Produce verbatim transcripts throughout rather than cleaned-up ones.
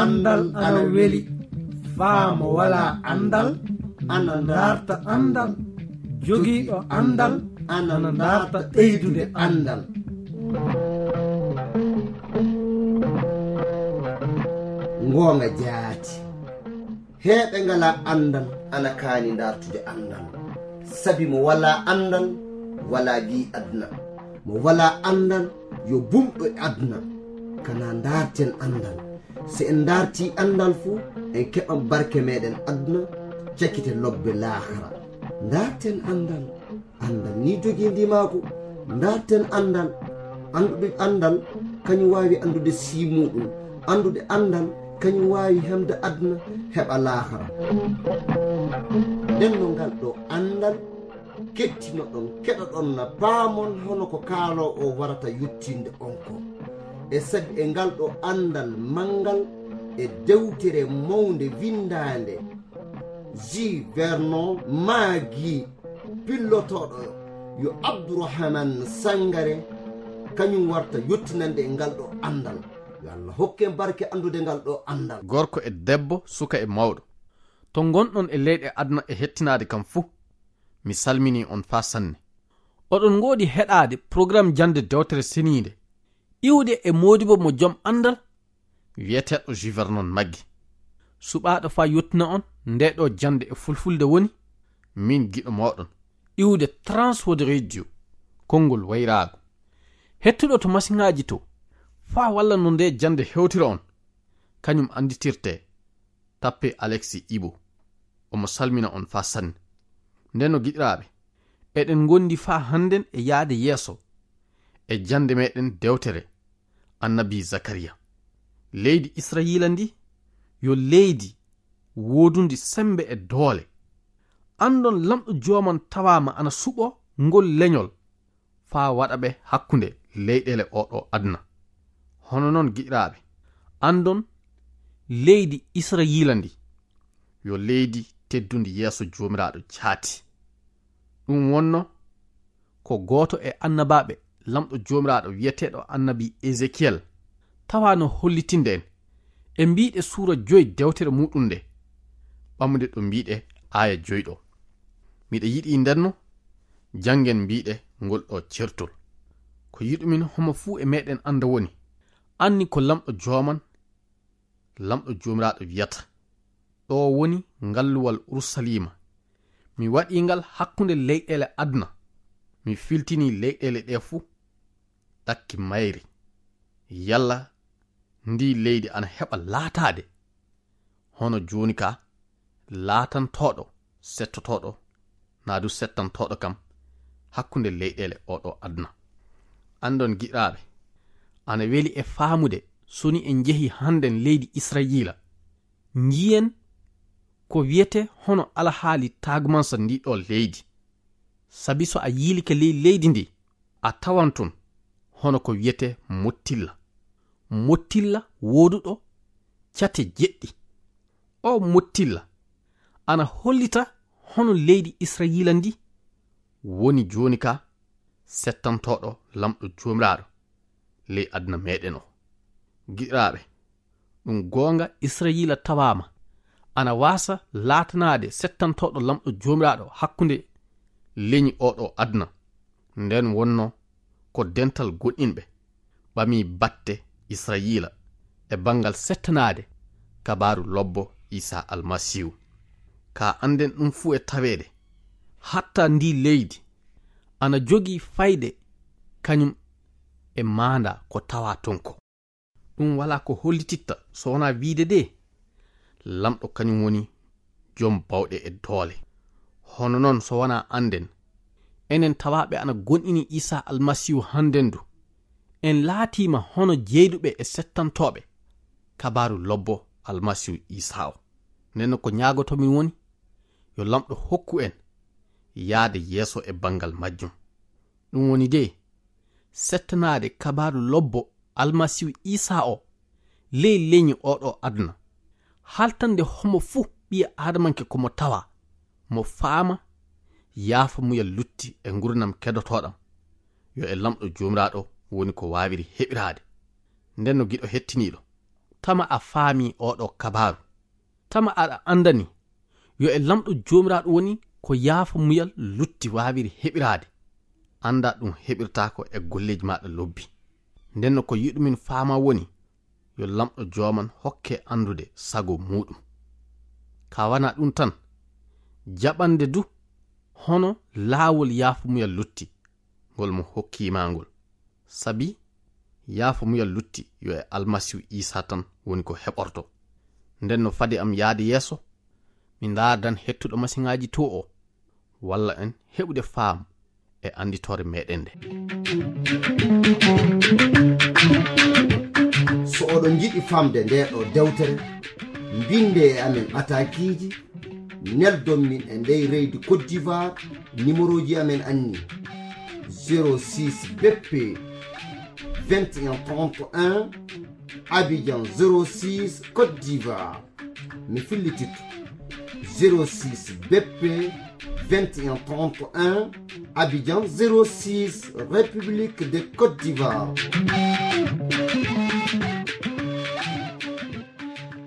Anndal ana weli. Faa mo walaa anndal ana ndaarta anndal. Jogiiɗo anndal ana ndaarta ɓeydude anndal. Ngoonga jaati. Heeɓe ngalaa anndal ana kaani ndaartude anndal. Sabi mo walaa anndal, walaa gi'i aduna. Mo walaa anndal, yo bumɗo e aduna. Kana ndaarten anndal. Si en ndaartii anndal fu, en keɓan barke meɗen aduna, cakite lobbe laakara. Ndaarten anndal. Anndal ni jogii ndimaagu. Ndaarten anndal. Anndude anndal, kañum waawi anndude sii muuɗum. Anndude anndal, kañum waawi hemde aduna, heɓa laakara. Nden no ngal ɗo anndal, kettinoɗon, keɗoɗon na paamon hono ko kaaloo o warata yottinde on ko. E sabi e ngal ɗo anndal manngal e dewtere mawnde winndaande, J. Vernon Maggi, pillotooɗo yo Abdourahmane Sangare, kañum warta yottinande e ngal ɗo anndal. Yo Allah hokke en barke anndude ngal ɗo anndal. Gorko e debbo, suka e mawɗo, to ngonɗon e leyɗe aduna e hettinaade kam fuu, mi salminii on faa sanne. Oɗon ngoodi heɗaade programme jannde dewtere seniinde, iwde e moodibo mo jom anndal, wiyeteeɗo J. Vernon Maggi. Suɓaaɗo faa yottina on nde ɗo jannde e fulfulde woni min giɗo mooɗon, iwde Transworld Radio, konngol wayraago. Hettuɗo to masiŋaaji to, faa walla no nde jannde hewtira on, kañum annditirte, tappe Alexis Ibo. Omo salmina on faa sanne. Nden no giɗiraaɓe, eɗen ngondi faa hannden e yaade yeeso e jannde meɗen dewtere Annabi Zakariya. Leydi Israyiila ndi yo leydi woodundi semmbe e doole. Anndon Laamɗo Jooman tawaama ana suɓoo ngol leñol faa waɗa ɓe hakkunde leyɗeele oo ɗoo aduna. Hono non, giɗiraaɓe, anndon leydi Israyiila ndi yo leydi teddundi yeeso Joomiraaɗo jaati. Ɗum wonno ko gooto e annabaaɓe Laamɗo Joomiraaɗo wiyeteeɗo Annabi Ezekiyel tawaano hollitinde en e mbiiɗe suura joy dewtere muuɗum nde, ɓamude ɗo mbiiɗe aaya joy ɗo. Miɗa yiɗi ndenno janngen mbiiɗe ngol ɗo certol. Ko yiɗumin homo fuu e meɗen annda woni, anni ko Laamɗo Jooman, Laamɗo Joomiraaɗo wiyata, ɗo woni ngalluwal Urusaliima. Mi waɗii ngal hakkunde leyɗeele aduna. Mi filtinii leyɗeele ɗe fuu ɗakki mayri. Yalla ndii leydi ana heɓa laataade hono jooni ka laatantooɗo settotooɗo, naa du settantooɗo kam hakkunde leyɗeele oo ɗoo aduna. Anndon, giɗiraaɓe, ana weli e faamude, so ni en njehi hannden leydi Israyiila, njiyen ko wiyetee hono alhaali taagumansa ndii ɗoo leydi. Sabi so a yiilike ley leydi ndi, a tawan ton hono ko wiyetee mottilla. Mottilla wooduɗo cate jeɗɗi. O mottilla ana hollita hono leydi Israyiila ndi woni jooni ka settantooɗo Laamɗo Joomiraaɗo ley aduna meɗen o. Giɗiraaɓe, ɗum goonga, Israyiila tawaama ana waasa laatanaade settantooɗo Laamɗo Joomiraaɗo hakkunde leñi oo ɗoo aduna. Nden wonno ko dental goɗɗinɓe ɓami batte Israyiila e banngal settanaade kabaaru lobbo Iisaa Almasiihu. Ka annden ɗum fuu e taweede, hatta ndii leydi ana jogii fayde kañum e maanda ko tawaa ton ko. Ɗum walaa ko hollititta so wonaa wiide de, Laamɗo kañum woni jom bawɗe e doole. Hono non, so wonaa annden, enen tawaaɓe ana gonɗini Iisaa Almasiihu hannden du, en laatiima hono jeyduɓe e settantooɓe kabaaru lobbo Almasiihu Iisaa o. Nden no ko ñaagotomin woni, yo Laamɗo hokku en yaade yeeso e banngal majjum. Ɗum woni de, settanaade kabaaru lobbo Almasiihu Iisaa o ley leñi oo ɗoo aduna, haltande homo fuu ɓii aadamanke ko mo tawa, mo faama yaafa muyal lutti e ngurnam kedotooɗam. Yo e Laamɗo Joomiraaɗo woni ko waawiri heɓiraade. Nden no, giɗo hettiniiɗo, Tama a faami oɗo kabaaru. Tama aɗa anndani yo e Laamɗo Joomiraaɗo woni ko yaafo muyal lutti waawiri heɓiraade. Annda ɗum heɓirtaako e golleeji maaɗa lobbi. Nden no ko yiɗumin faama woni yo Laamɗo Jooman hokke anndude sago muuɗum. Ka wana ɗum tan, jaɓande du hono laawol yaafo muyal lutti ngol mo hokkii ma ngol. Sabi yaafo muyal lutti yo e Almasiihu Iisaa tan woni ko heɓorto. Nden no fadi am yaade yeeso, mi ndaardan hettuɗo masiŋaaji to o, walla en heɓude faamu e annditoore meɗen nde. So oɗon njiɗi famde nde ɗo dewtere, mbinde e amen ɓatakiiji, neldon min e ndey reydi Côte d'Ivoire, numéroji amen anni: zéro six B P vingt et un trente et un, Abidjan zéro six, Côte d'Ivoire. Mi fillititto: zéro six B P vingt et un trente et un, Abidjan zéro six, République de Côte d'Ivoire.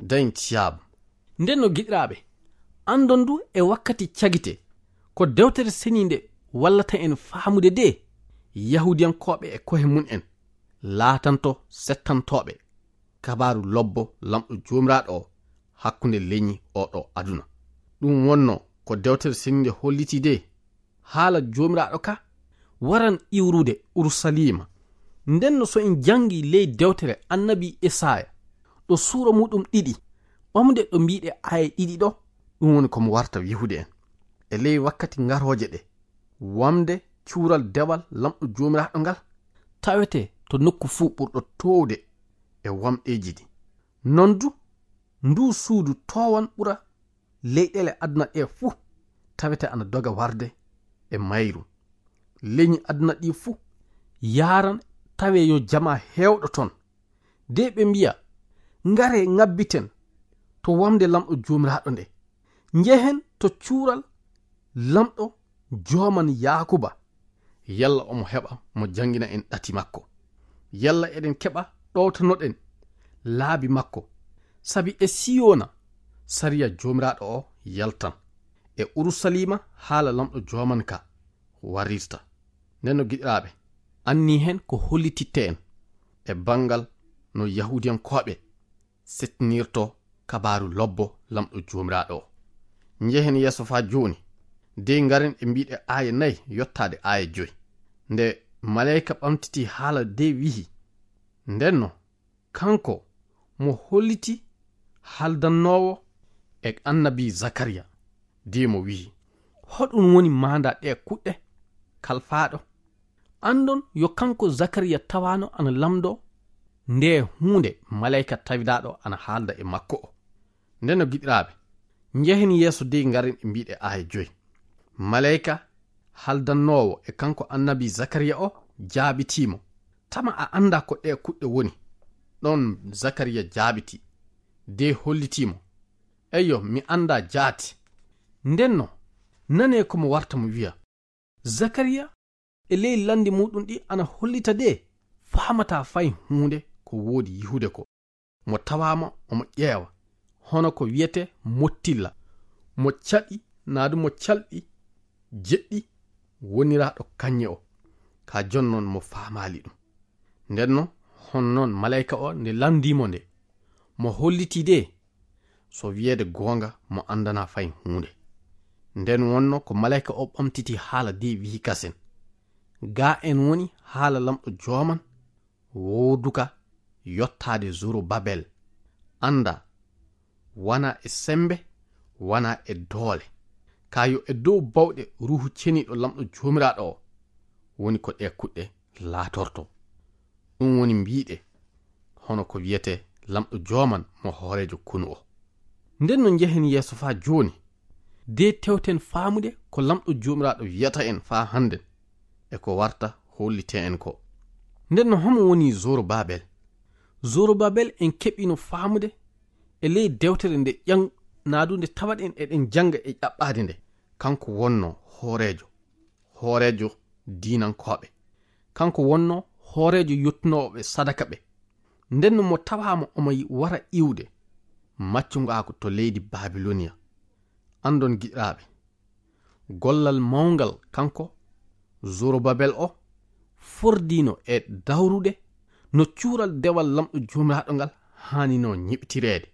Dañ Thiam. Nden no giɗiraaɓe, anndon du e wakkati cagite ko dewtere seniinde wallata en faamude de, Yahuudiyankooɓe e kohe mum en laatanto settantooɓe kabaaru lobbo Laamɗo Joomiraaɗo o hakkunde leñi oɗo aduna. Ɗum wonno ko dewtere seniinde holliti de, haala Joomiraaɗo ka waran iwrude Urusaliima. Nden no so en janngi ley dewtere annabi Esaaya, ɗo suura muɗum ɗiɗi, ɓamde ɗo mbiɗe aaye ɗiɗi ɗo, ɗum woni ko mo warta wihude en. E ley wakkati ngarooje ɗe, wamde cuural dewal Laamɗo Joomiraaɗo ngal tawete to nokku fuu ɓurɗo toowde e wamɗeeji ɗi. Non du, ndu suudu toowan ɓura leyɗeele aduna ɗe fuu tawete ana doga warde e mayru. Leñi aduna ɗi fuu yaaran tawe yo jama heewɗo ton. De ɓe mbiya, ngare ngabbiten to wamde Laamɗo Joomiraaɗo nde. Njehen to cuural Laamɗo Jooman Yaakuba. Yalla omo heɓa mo janngina en ɗati makko. Yalla eɗen keɓa ɗowtanoɗen laabi makko. Sabi e Siyona sariya Joomiraaɗo o yaltan. E Urusaliima haala Laamɗo Jooman ka warirta. Nden no giɗiraaɓe, anni hen ko hollititte en e banngal no Yahuudiyankooɓe settinirto kabaaru lobbo Laamɗo Joomiraaɗo o. Njehen yeeso faa jooni, dey ngaren e mbiɗe aaye nayi yottaade aaye joy. Nde maleyka ɓamtiti haala dey wihi, ndenno kanko mo holliti haldannoowo e annabi Zakariya, dey mo wihi, hoɗum woni maanda ɗe kuɗɗe kalfaaɗo? Anndon yo kanko Zakariya tawaano ana lamndoo nde huunde maleyka tawidaaɗo ana haalda e makko o. Nden no giɗiraaɓe, njehen yeeso dey ngaren e mbiɗe aaye joy. Maleyka haldannoowo e kanko annabi Zakariya o jaabitii mo, tama a annda ko ɗe kuɗɗe woni? Ɗon Zakariya jaabiti, dey hollitii mo, eyyo, mi annda jaati. Ndenno, nanee ko mo warta mo wiya. Zakariya e ley lanndi muuɗum ɗi ana hollita de faamataa fay huunde ko woodi yihude ko. Mo tawaama omo ƴeewa hono ko wiyetee mottilla, mo caɗi naa du mo calɗi jeɗɗi woniraaɗo kañe o. Ka jon non mo faamaali ɗum. Ndenno hon non maleyka o nde lanndii mo nde, mo hollitii de so wiyeede goonga mo anndanaa fay huunde. Nden wonno ko maleyka o ɓamtiti haala de wihi kasen, gaa en woni haala Laamɗo Jooman wowduka yottaade Zorobabel. Annda, wanaa e semmbe, wanaa e doole, kaa yo e dow bawɗe Ruuhu Ceniiɗo Laamɗo Joomiraaɗo o woni ko ɗe kuɗɗe laatorto. Ɗum woni mbiɗe hono ko wiyetee Laamɗo Jooman mo hooreejo konu o. Nden no njehen yeeso faa jooni, de tewten faamude ko Laamɗo Joomiraaɗo wiyata en faa hannden e ko warta hollitee en ko. Nden no homo woni Zorobabel? Zorobabel en keɓino faamude e ley dewtere nde ƴan naa du nde tawaɗen eɗen jannga e ƴaɓɓaade nde. Kanko wonno hooreejo, hooreejo diinankooɓe. Kanko wonno hooreejo yottinooɓe sadaka ɓe. Nden no mo tawaama omo wara iwde maccungaaku to leydi Babiloniya. Anndon giɗiraaɓe, gollal mawngal kanko Zorobabel o fordino e dawrude no cuural dewal Laamɗo Joomiraaɗo ngal haanino nyiɓtireede.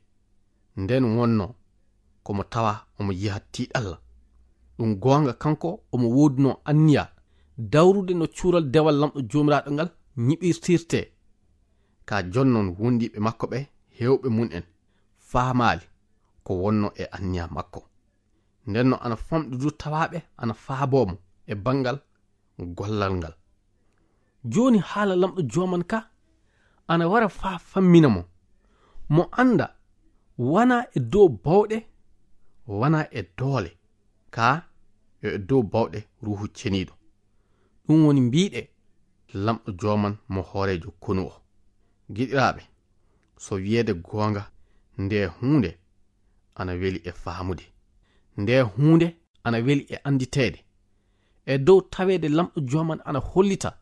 Nden wonno ko mo tawa omo yiha tiiɗalla. Ɗum goonga, kanko omo woodunoo anniya dawrude no cuural dewal Laamɗo Joomiraaɗo ngal nyiɓirtirtee. Ka jonnon wondiiɓe makko ɓe heewɓe mum en faamaali ko wonno e anniya makko. Nden no ana famɗi du tawaaɓe ana faaboo mo e banngal gollal ngal. Jooni haala Laamɗo Jooman ka ana wara faa fammina mo. Mo annda wanaa e dow bawɗe, wanaa e doole, kaa yo e dow bawɗe Ruuhu Ceniiɗo. Ɗum woni mbiiɗe Laamɗo Jooman mo hooreejo konu o. Giɗiraaɓe, so wiyeede goonga, nde huunde ana weli e faamude. Nde huunde ana weli e annditeede. E dow taweede Laamɗo Jooman ana hollita,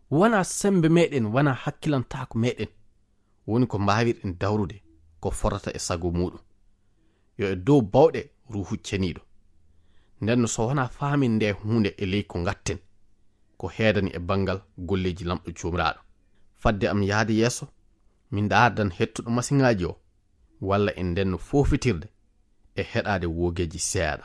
wanaa semmbe meeɗen, wanaa hakkilantaaku meeɗen woni ko mbaawirɗen dawrude ko fotata e sago muuɗum. Yo e dow bawɗe Ruuhu Ceniiɗo. Nden no so wanaa faamin nde huunde e ley ko ngatten, ko heedani e banngal golleeji Laamɗo Joomiraaɗo. Fadde am yahde yeeso, mi ndaardan hettuɗo masiŋaaji o, walla en ndenno foofitirde e heɗaade woogeeji seeɗa.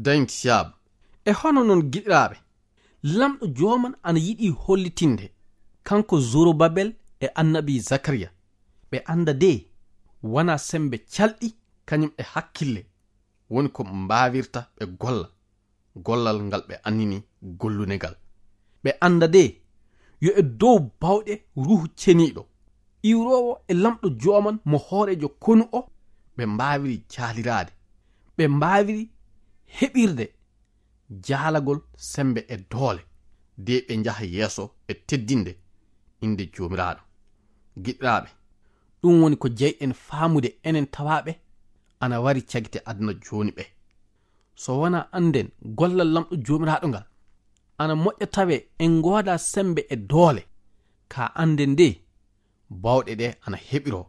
Dañti siyaabu. E hono non, giɗiraaɓe, Laamɗo Jooman ana yiɗi hollitinde, kanko Zorobabel e annabi Zakariya, ɓe annda de wanaa semmbe calɗi kañum e hakkille woni ko mbaawirta ɓe golla gollal ngal ɓe annini gollune ngal. Ɓe annda de yo e dow bawɗe Ruuhu Ceniiɗo, iwroowo e Laamɗo Jooman mo hooreejo konu o, ɓe mbaawiri jaaliraade, ɓe mbaawiri heɓirde jaalagol semmbe e doole, de ɓe njaha yeeso e teddinde innde Joomiraaɗo. Giɗiraaɓe, ɗum woni ko jeyɗen faamude enen tawaaɓe ana wari cagite aduna jooni ɓe. So wanaa annden gollal Laamɗo Joomiraaɗo ngal, ana moƴƴa tawee en ngoodaa semmbe e doole, ka annden de bawɗe ɗe ana heɓiroo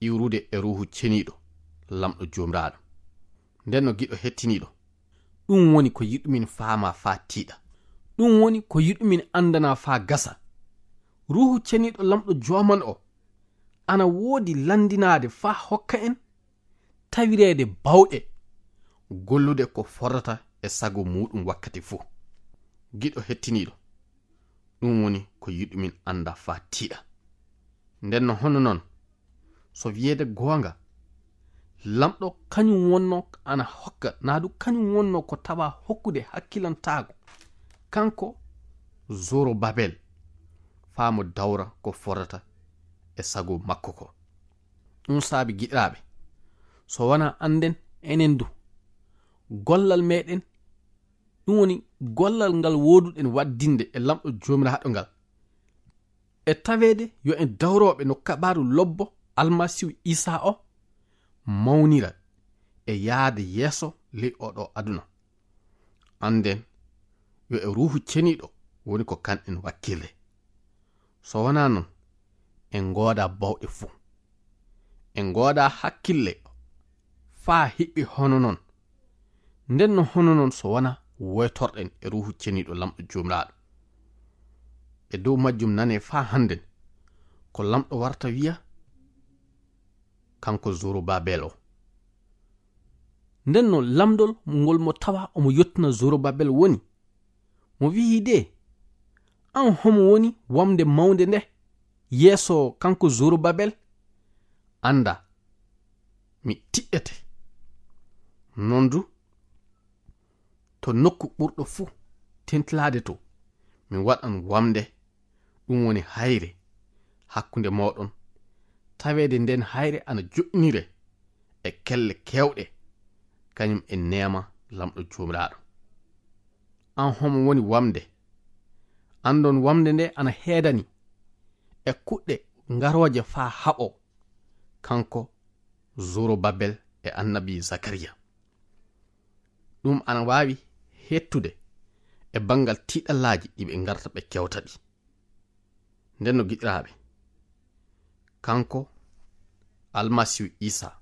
iwrude e Ruuhu Ceniiɗo Laamɗo Joomiraaɗo. Nden no giɗo hettiniiɗo, ɗum woni ko yiɗumin faamaa faa tiiɗa. Ɗum woni ko yiɗumin anndanaa faa gasa. Ruuhu Ceniiɗo Laamɗo Jooman o ana woodi lanndinaade faa hokka en tawireede bawɗe gollude ko fotata e sago muuɗum wakkati fuu. Giɗo hettiniiɗo, ɗum woni ko yiɗumin annda faa tiiɗa. Nden no hono non, so wiyeede goonga, Laamɗo kañum wonno ana hokka, naa du kañum wonno ko tawa hokkude hakkilantaago, kanko Zorobabel, faa mo dawra ko fotata e sago makko ko. Ɗum saabi, giɗiraaɓe, so wanaa annden enen du, gollal meɗen, ɗum woni gollal ngal wooduɗen waddinde e Laamɗo Joomiraaɗo ngal. E taweede yo en dawrooɓe no kabaaru lobbo Almasiihu Iisaa o mawnira e yaade yeeso ley oo ɗoo aduna. Annden yo e Ruuhu Ceniiɗo woni ko kanɗen wakkille. So wonaa noon, en ngoodaa bawɗe fuu. En ngoodaa hakkille faa hiɓɓi hono noon. Nden no hono noon so wonaa woytorɗen e Ruuhu Ceniiɗo Laamɗo Joomiraaɗo. E dow majjum nanee faa hannden ko Laamɗo warta wiya kanko Zorobabel o. Nden no lamndol ngol mo tawa omo yottina Zorobabel woni, mo wi'i de, "Aan homo woni wamnde mawnde nde yeeso kanko Zorobabel? Annda, mi tiɗɗete. Noon du, to nokku ɓurɗo fuu tentilaade to, mi waɗan wamnde, ɗum woni hayre, hakkunde mooɗon, taweede nden hayre ana joɗɗinire e kelle keewɗe, kañum e neema Laamɗo Joomiraaɗo. Aan homo woni wamnde? Anndon wamnde nde ana heedani e kuɗɗe ngarooje faa haɓoo, kanko Zorobabel e annabi Zakariya. Ɗum ana waawi hettude e banngal tiiɗallaaji ɗi ɓe ngarta ɓe kewta ɗi." Nden no giɗiraaɓe, kanko Almasiihu Iisaa,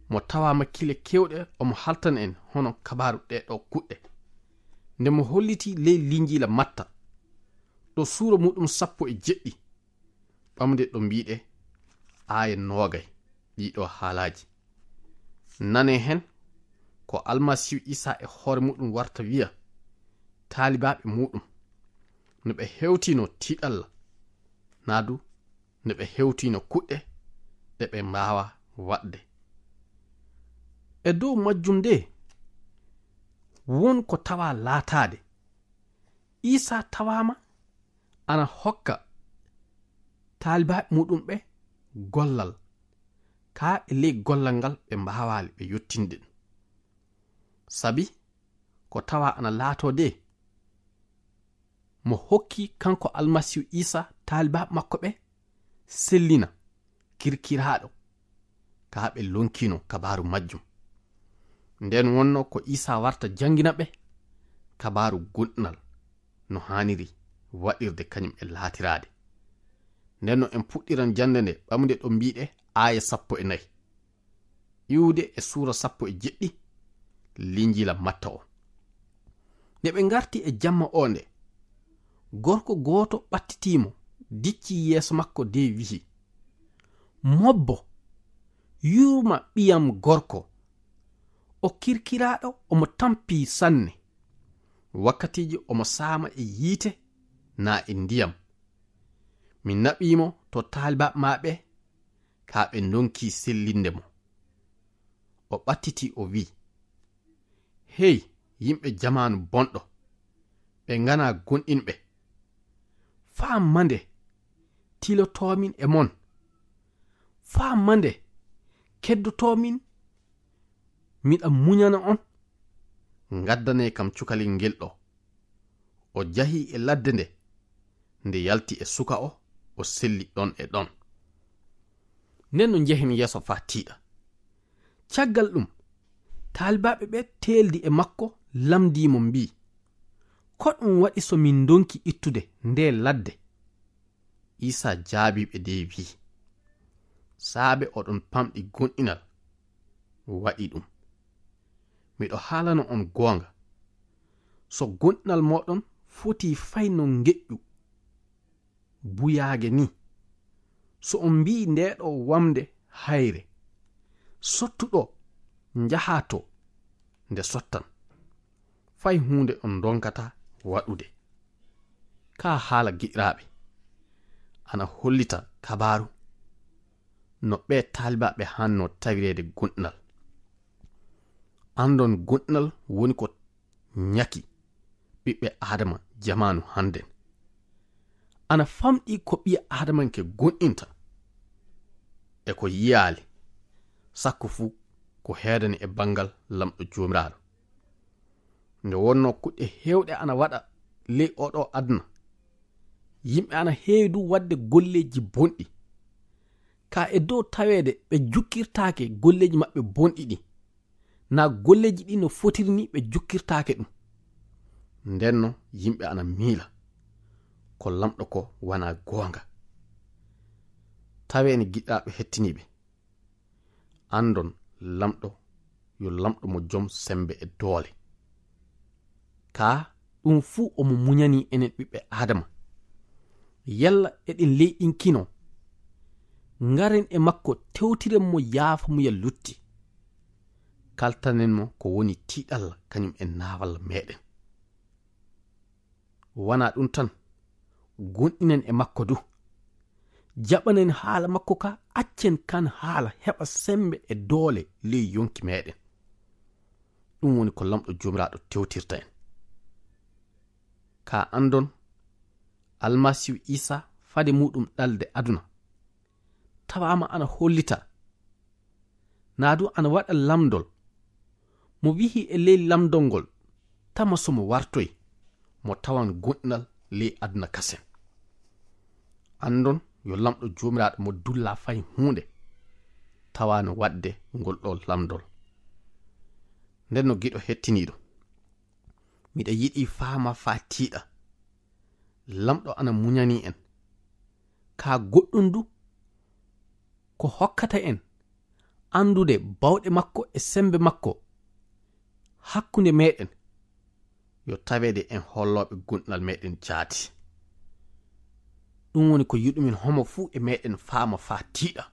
mo tawaama kile keewɗe omo haltana en hono kabaaru ɗee ɗoo kuɗɗe, nde mo hollitii ley Linjiila Matta, ɗo suura muuɗum sappo e jeɗɗi, ɓamde ɗo mbiiɗe aaya noogay ɗii ɗoo haalaaji. Nanee hen ko Almasiihu Iisaa e hoore muuɗum warta wiya taalibaaɓe muuɗum, no ɓe hewtino tiiɗalla, naa du no ɓe hewtino kuɗɗe ɗe ɓe mbaawa waɗde. E dow majjum de, won ko tawa laataade. Iisaa tawaama ana hokka taalibaaɓe muuɗum ɓe gollal, kaa e ley gollal ngal ɓe mbaawaali ɓe yottinde ɗum. Sabi ko tawa ana laatoo de, mo hokki kanko Almasiihu Iisaa taalibaaɓe makko ɓe sellina, kirkiraaɗo, kaa ɓe lonkino kabaaru majjum. Nden wonno ko Iisaa warta janngina ɓe kabaaru goonɗinal no haaniri waɗirde kañum e laatiraade. Nden no en puɗɗiran jannde nde ɓamde ɗo mbiiɗe aaya sappo e nayi, iwde e suura sappo e jeɗɗi Linjiila Matta o. Nde ɓe ngarti e jamma o nde, gorko gooto ɓattitii mo, diccii yeeso makko de wi'i, "Mobbo, yurma ɓiyam gorko. O kirkiraaɗo, omo tampii sanne. Wakkatiiji omo saama e yiite naa e ndiyam. Mi naɓii mo to taalibaaɓe maa ɓe, kaa ɓe ndonkii sellinde mo." O ɓattitii o wi'i, "Hey, yimɓe jamaanu bonɗo, ɓe nganaa goonɗinɓe! Faa mande tilotoomin e mon? Faa mande keddotoomin miɗa muñana on? Ngaddanee kam cukalel ngel ɗo." O jahii e ladde nde, nde yalti e suka o, o selli ɗon e ɗon. Nden no njehen yeeso faa tiiɗa. Caggal ɗum, taalibaaɓe ɓe teeldi e makko, lamndii mo, mbii, "Ko ɗum waɗi so min ndonki ittude ndee ladde?" Iisaa jaabii ɓe de wi'i, "Saabe oɗon pamɗi goonɗinal waɗi ɗum. Miɗo haalana on goonga, so goonɗinal mooɗon fotii fay no ngeƴƴu buyaage nii, so on mbii ndee ɗoo wamnde hayre, 'Sottu ɗoo, njahaa too,' nde sottan. Fay huunde on ndonkataa waɗude." Kaa haala, giɗiraaɓe, ana hollita kabaaru no ɓee taalibaaɓe haannoo tawireede goonɗinal. Anndon goonɗinal woni ko ñaki ɓiɓɓe Aadama jamaanu hannden. Ana famɗi ko ɓii Aadamanke goonɗinta e ko yiyaali, sakko fuu ko heedani e banngal Laamɗo Joomiraaɗo. Nde wonnoo kuɗɗe heewɗe ana waɗa ley oo ɗoo aduna, yimɓe ana heewi du waɗde golleeji bonɗi. Ka e dow taweede ɓe jukkirtaake golleeji maɓɓe bonɗi ɗi, na golleeji ɗi no fotiri ni ɓe jukkirtaake ɗum. Ndenno yimɓe ana miila ko lamɗo ko wana goonga. Tawee ni giɗɗaaɓe hettiniiɓe, anndon lamɗo yo lamɗo mo jom sembe e doole. Ka ɗum fuu omo muñani enen ɓiɓɓe Aadama. Yalla eɗen leyɗinkino? Ngaren e makko tewtiren mo yaafa muya lutti. Kaltanen mo ko woni tiiɗalla kañum e naawalla meɗen. Wana ɗum tan, gonɗinen e makko du. Jaɓanen haala makko ka, accen kan haala heɓa sembe e doole ley yonki meɗen. Ɗum woni ko lamɗo Joomiraaɗo tewtirta en. Ka anndon Almasiihu Iisaa fade muɗum ɗalde aduna, tawaama ana hollita, naa du ana waɗa lamndol. Mo wihi e ley lamndol ngol, tama so mo wartoy, mo tawan gonɗinal ley aduna kasen. Anndon yo lamɗo Joomiraaɗo mo dulla fay huunde, tawaano waɗde ngol ɗoo lamndol. Nden no giɗo hettiniiɗo, miɗa yiɗi faama faa tiiɗa. Lamɗo ana muñani en. Ka goɗɗum du ko hokkata en anndude bawɗe makko e sembe makko hakkunde meɗen, yo taweede en hollooɓe gonɗinal meɗen jaati. Ɗum woni ko yiɗumin homo fuu e meɗen faama faa tiiɗa.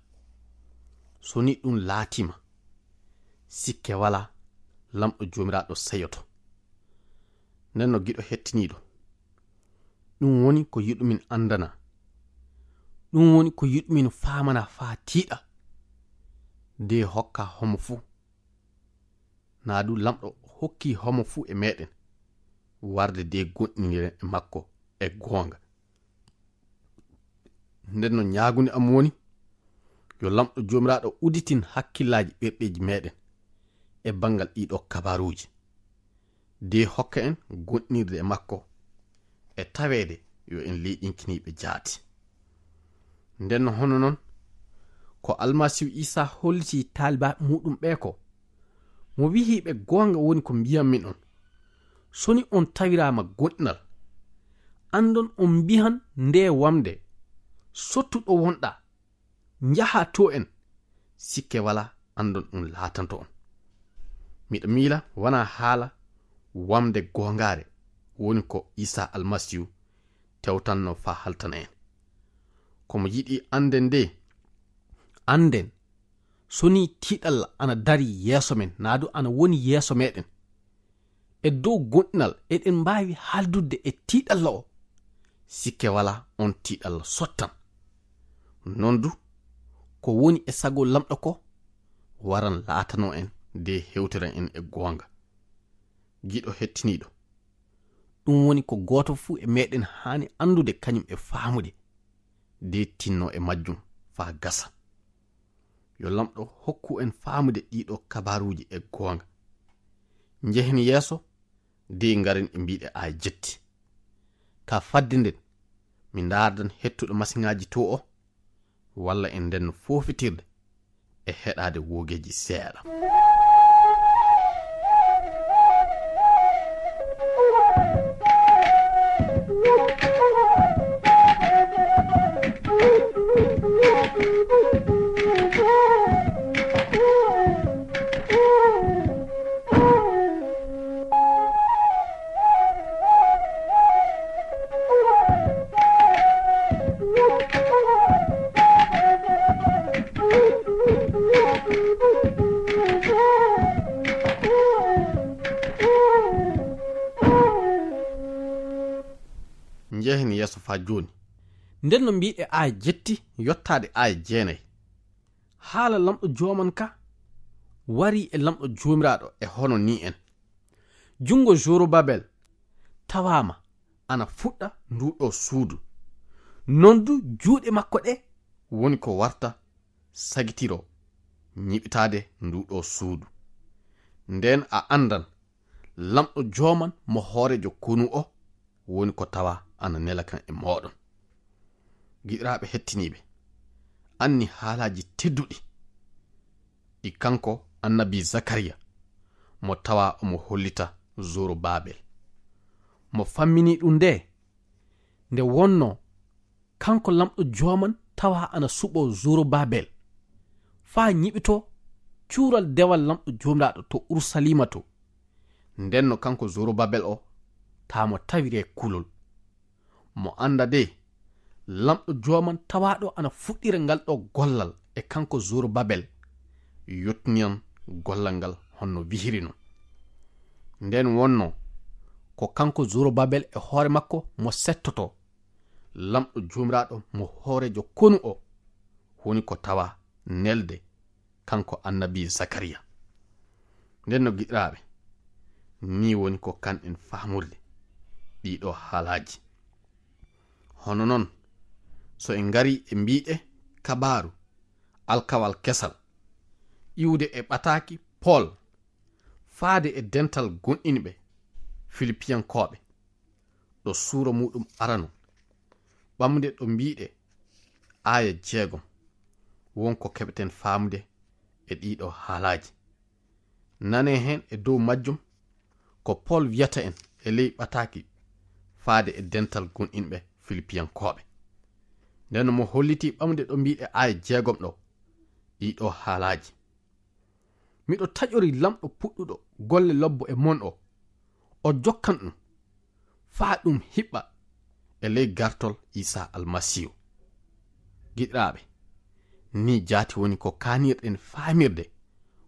So ni ɗum laatiima, sikke walaa, lamɗo Joomiraaɗo seyoto. Nden no giɗo hettiniiɗo, ɗum woni ko yiɗumin anndana. Ɗum woni ko yiɗumin faamana faa tiiɗa. De hokka homo fuu. Naa du lamɗo hokki homo fuu e meɗen warde de gonɗiniren e makko e goonga. Nden no ñaagunde am woni, yo lamɗo Joomiraaɗo udditin hakkillaaji ɓerɗeeji meɗen e banngal ɗiɗo kabaruuji. De hokka en gonɗinirde e makko e taweede yo en leyɗinkiniiɓe jaati. Nden no hono non, ko Almasiihu Iisaa holliti taalibaaɓe muɗum ɓe ko, mo wihi ɓe goonga woni ko mbiyanmi on, so ni on tawiraama gonɗinal, anndon on mbihan nde wamde, sottu ɗo wonɗa, njaha to en, sikke wala anndon ɗum laatanto on. Miɗa miila wana haala wamde goongaare woni ko Iisaa Almasiihu tewtanno faa haltana en. Ko mo yiɗi annden de, annden so ni tiiɗalla ana dari yeeso men, naa du ana woni yeeso meɗen. E dow gonɗinal eɗen mbaawi haaldude e tiiɗalla o. Sikke wala on tiiɗalla sottan. Non du, ko woni e sago lamɗo ko, waran laatano en de hewtiran en e goonga. Giɗo hettiniiɗo, ɗum woni ko gooto fuu e meɗen haani anndude kañum e faamude, de tinno e majjum faa gasa. Yo lamɗo hokku en faamude ɗiɗo kabaruuji e goonga. Njehen yeeso, de ngaren e mbiɗe aaya jetti. Ka fadde nden, mi ndaardan hettuɗo masiŋaaji to o, walla en nden foofitirde e heɗaade woogeeji seeɗa. Njehen yeeso faa jooni. Nden no mbiɗe aaya jetti yottaade aaya jeenay. Haala lamɗo jooman ka wari e lamɗo joomiraaɗo e hono ni en. Junngo Zorobabel tawaama ana fuɗɗa ndu ɗo suudu. Non du juuɗe makko ɗe woni ko warta sagitiro ñiɓitaade ndu ɗo suudu. Nden a anndan Lamɗo jooman mo hooreejo konu o woni ko tawa ana nela kan e mooɗon. Giɗiraaɓe hettiniiɓe, anni haalaaji tedduɗi ɗi kanko annabi Zakariya mo tawa omo hollita Zorobabel. Mo fammini ɗum nde, nde wonno kanko lamɗo jooman tawa ana suɓo Zorobabel faa ñiɓito cuural dewal lamɗo joomiraaɗo to Urusaliima to. Ndenno kanko Zorobabel o, taa mo tawiree kulol. Mo annda de, lamɗo jooman tawaaɗo ana fuɗɗira ngal ɗo gollal e kanko Zorobabel, yottiniyan gollal ngal honno wihiri non. Nden wonno ko kanko Zorobabel e hoore makko mo settoto, lamɗo joomiraaɗo mo hooreejo konu o, woni ko tawa nelde kanko annabi Zakariya. Nden no giɗiraaɓe, ni woni ko kanɗen faamurde ɗiɗo haalaaji. Hono non, so en ngari e mbiɗe kabaaru alkawal kesal, iwde e ɓataaki Pol, faade e dental gonɗinɓe Filipiyankooɓe, ɗo suura muɗum arano, ɓamde ɗo mbiɗe aaya jeegom, won ko keɓeten faamude e ɗiɗo haalaaji. Nane heen e dow majjum ko Pol wiyata en e ley ɓataaki faade e dental gonɗinɓe Filipiyankooɓe. Nden mo holliti ɓamde ɗo mbiɗe aaya jeegom ɗo ɗiɗo haalaaji. Miɗo taƴori lamɗo puɗɗuɗo golle lobbo e mon o, o jokkan ɗum faa ɗum hiɓɓa e ley gartol Iisaa Almasiihu. Giɗiraaɓe, ni jaati woni ko kaanirɗen faamirde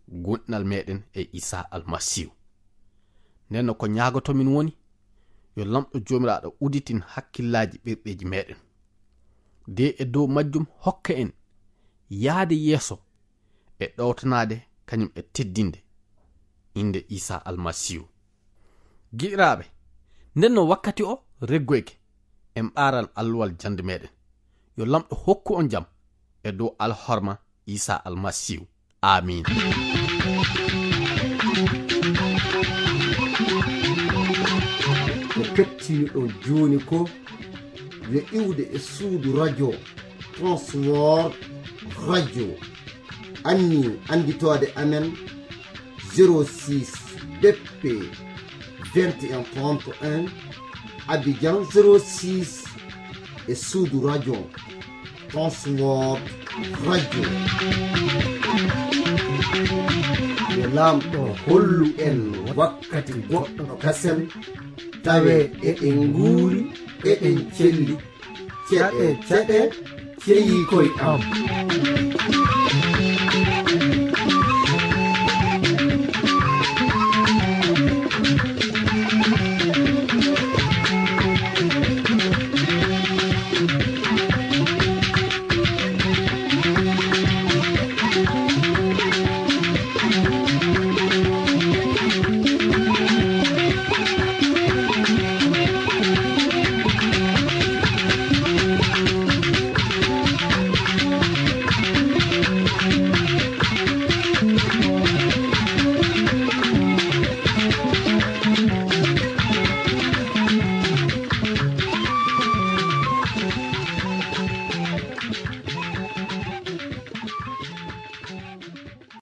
gonɗinal meɗen e Iisaa Almasiihu. Nden no ko ñaagotomin woni, yo lamɗo joomiraaɗo uditin hakkillaaji ɓerɗeeji meɗen. De e dow majjum hokka en yaade yeeso e ɗowtanaade kañum e teddinde innde Iisaa Almasiihu. Giɗiraaɓe, nden no wakkati o reggoyke, en ɓaaran alluwal jannde meɗen. Yo lamɗo hokku on jam e dow alhorma Iisaa Almasiihu. Aamiin. Ko kettiniɗon jooni ko yo iwde e suudu radio Transworld Radio. Anni annditoode amen zéro six B P vingt et un trente et un, Abidjan zéro six e suudu radio Transworld Radio. Yo Laamɗo hollu en wakkati goɗɗo kasen, tawe eɗen nguuri, eɗen celli. Ceɗe, ceɗe, ceyi koy am.